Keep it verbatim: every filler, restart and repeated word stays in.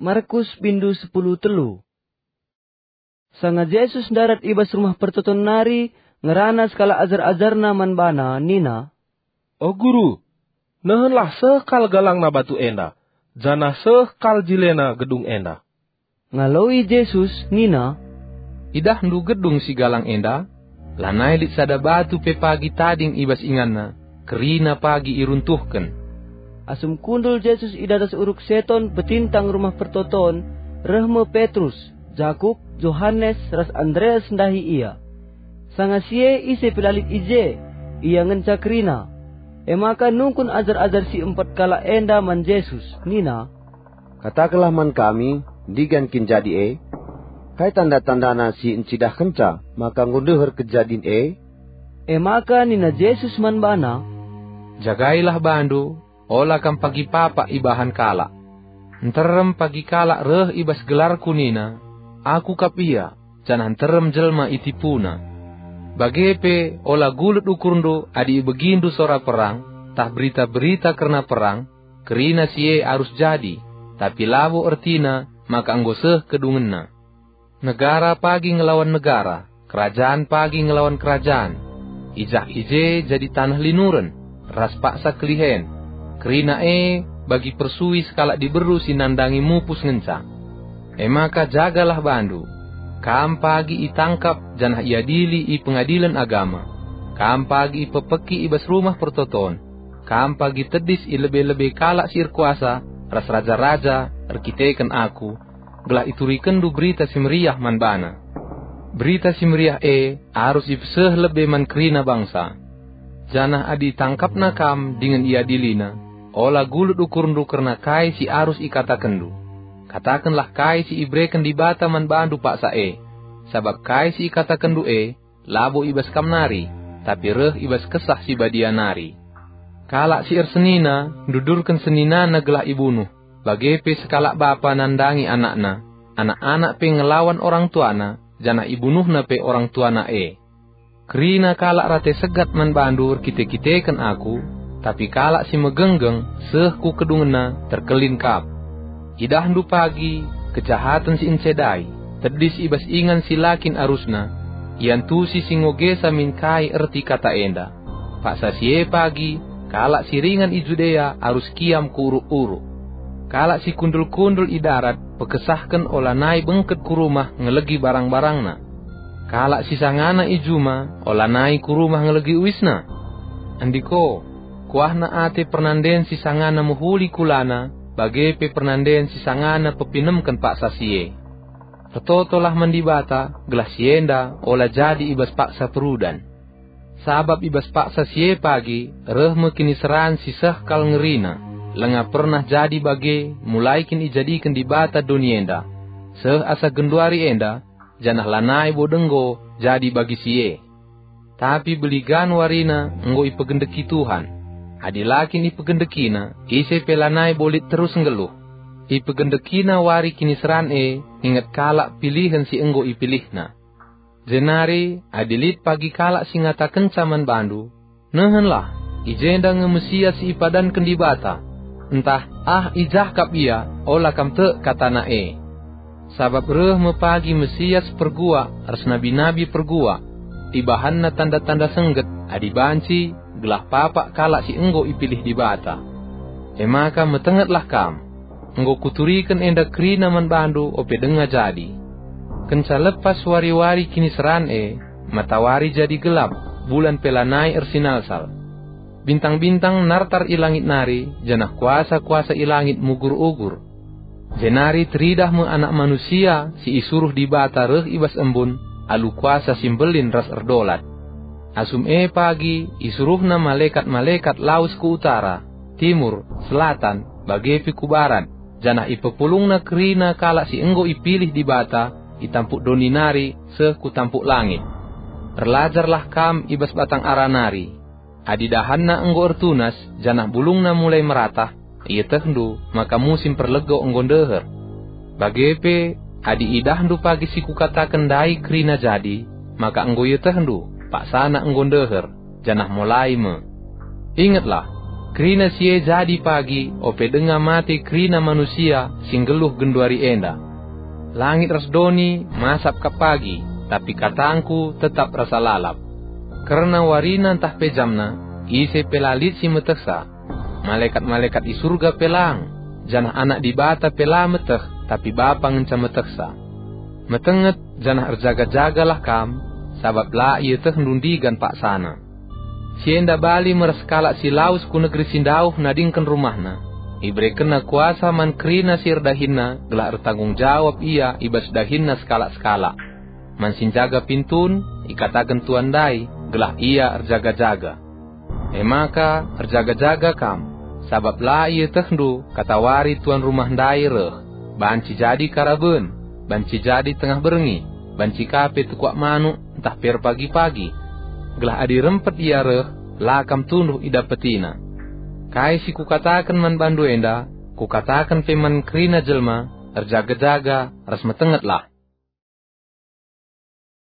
Markus bindu sepuluh telu. Sanga Jesus ndarat i bas Rumah Pertoton nari, ngerana sekalak ajar-ajarNa man baNa nina, "O Guru, nehenlah seh kal galangna batu enda, janah seh kal jilena gedung enda." Ngaloi Jesus nina, "Idahndu gedung si galang enda? Lanai lit sada batu pe pagi tading i bas inganna, kerina pagi iruntuhken." Asum kundul Jesus i datas uruk Seton petintang Rumah Pertoton, reh me Petrus, Jakup, Johanes, ras Andreas ndahi Ia. Sanga si e ise pe la lit i je, ia ngenca kerina. E maka nungkun ajar-ajar si empat kalak enda man Jesus, nina, "Katakenlah man kami, ndigan kin jadi e? Kai tanda-tandana si encidahkenca maka enggo ndeher kejadin e?" E maka nina Jesus man bana, "Jagailah bandu, ola kam pagi papak ibahan kalak. Nterem pagi kalak reh i bas gelarKu nina, 'Aku kap ia,' janah nterem jelma itipuna. Bage pe ola gulut ukurndu adi ibegindu sora perang, tah berita-berita kerna perang, kerina si e arus jadi, tapi labo ertina maka enggo seh kedungenna. Negara pagi ngelawan negara, kerajan pagi ngelawan kerajan. I jah i je jadi taneh linuren, ras paksa kelihen. Kerina e bagi persui sekalak diberu si nandangi mupus ngenca. E maka jagalah bandu. Kam pagi itangkap janah iadili i pengadilen agama. Kam pagi ipepeki i bas Rumah Pertoton. Kam pagi tedis i lebe-lebe kalak si erkuasa ras raja-raja erkiteken Aku, gelah iturikenndu Berita Si Meriah man bana. Berita Si Meriah e arus ipeseh lebe man kerina bangsa. Janah adi itangkapna kam dingen iadilina, ola gulut ukurndu kerna kai si arus ikatakenndu. Katakenlah kai si ibereken Dibata man bandu paksa e, sabap kai si ikatakenndu e labo i bas kam nari, tapi reh i bas Kesah Si Badia nari. Kalak si ersenina ndudurken seninana gelah ibunuh, bage pe sekalak bapa nandangi anakna, anak-anak pe ngelawan orang tuana, janah ibunuhna pe orang tuana e. Kerina kalak rate segat man bandu erkite-kiteken Aku, tapi kalak si megenggeng seh ku kedungenna terkelin kap. Idahndu pagi kejahaten si encedai, tedis i bas ingan si la kin arusna, iantusi si ngogesa min kai erti kata enda. Paksa si e pagi, kalak si ringan i Judea arus kiam ku uruk-uruk. Kalak si kundul-kundul i darat pekesahken olanai bengket ku rumah ngelegi barang-barangna. Kalak si sangana i juma olanai ku rumah ngelegi uisna. Andiko, kuahna ate pernanden si sangana mehuli kulana, bage pe pernanden si sangana pepinemken paksa si e. Ertotolah man Dibata, gelah si enda ola jadi i bas paksa perudan. Sabap i bas paksa si e pagi reh me kiniseran si seh kal ngerina, langa pernah jadi bage mulai kin ijadiken Dibata doni enda, seh asa genduari enda, janah lanai bo denggo jadi bagi si e. Tapi beligan warina enggo ipegendeki Tuhan. Adi la kin ipegendekina, ise pe lanai bo lit terus nggeluh. Ipegendekina wari kiniseran e, inget kalak pilihen si enggo ipilihna. Jenari adi lit pagi kalak si ngatakenca man bandu, "Nehenlah, i jenda nge Mesias si ipadanken Dibata," ntah, "Ah, i jah kap ia," ola kam tek katana e. Sabap reh me pagi Mesias perguak ras nabi-nabi perguak, ibahanna tanda-tanda sengget adi banci, gelah papak kalak si enggo ipilih Dibata. E maka metengetlah kam. Enggo kuturiken enda kerina man bandu ope denga jadi. Kenca lepas wari-wari kiniseran e, matawari jadi gelap, bulan pe lanai ersinalsal. Bintang-bintang nartar i langit nari, janah kuasa-kuasa i langit mugur-ugur. Jenari teridah me Anak Manusia si isuruh Dibata reh i bas embun alu kuasa si mbelin ras erdolat. Asum e pagi isuruhna malekat-malekat lawes ku utara, timur, selatan, bage pe ku barat, janah ipepulungna kerina kalak si enggo ipilih Dibata i tampuk doni nari seh ku tampuk langit. Erlajarlah kam i bas batang ara nari. Adi dahanna enggo ertunas, janah bulungna mulai meratah, ietehndu maka musim perlego enggo ndeher. Bage pe, adi idahndu pagi si kukataken ndai kerina jadi, maka enggo ietehndu paksana enggo ndeher, janah mulai me. Ingetlah, Kerina si e jadi pagi, ope denga mate kerina manusia si nggeluh genduari enda. Langit ras doni masap kap pagi, tapi katangKu tetap rasa lalap. Kerna warina ntah pe jamna, ise pe la lit si metehsa. Malekat-malekat i Surga pe lang, janah Anak Dibata pe la meteh, tapi Bapa ngenca metehsa. Metenget janah erjaga-jagalah kam, sabap la ietehndu ndigan paksana. Si enda bali me ras kalak si lawes ku negeri si ndauh nadingken rumahna. Iberekenna kuasa man kerina si erdahinna gelah ertanggung jawab ia i bas dahinna sekalak-sekalak. Man si njaga pintun, ikataken tuan ndai, gelah ia erjaga-jaga. E maka, erjaga-jaga kam, sabap la ietehndu katawari tuan rumah ndai reh, banci jadi karaben, banci jadi tengah berngi, banci ka pe tukuak manuk ntah pe erpagi-pagi. Gelah adi rempet ia reh, la kam tunduh idapetina. Kai si Kukataken man bandu enda, Kukataken pe man kerina jelma, erjaga-jaga ras metengetlah.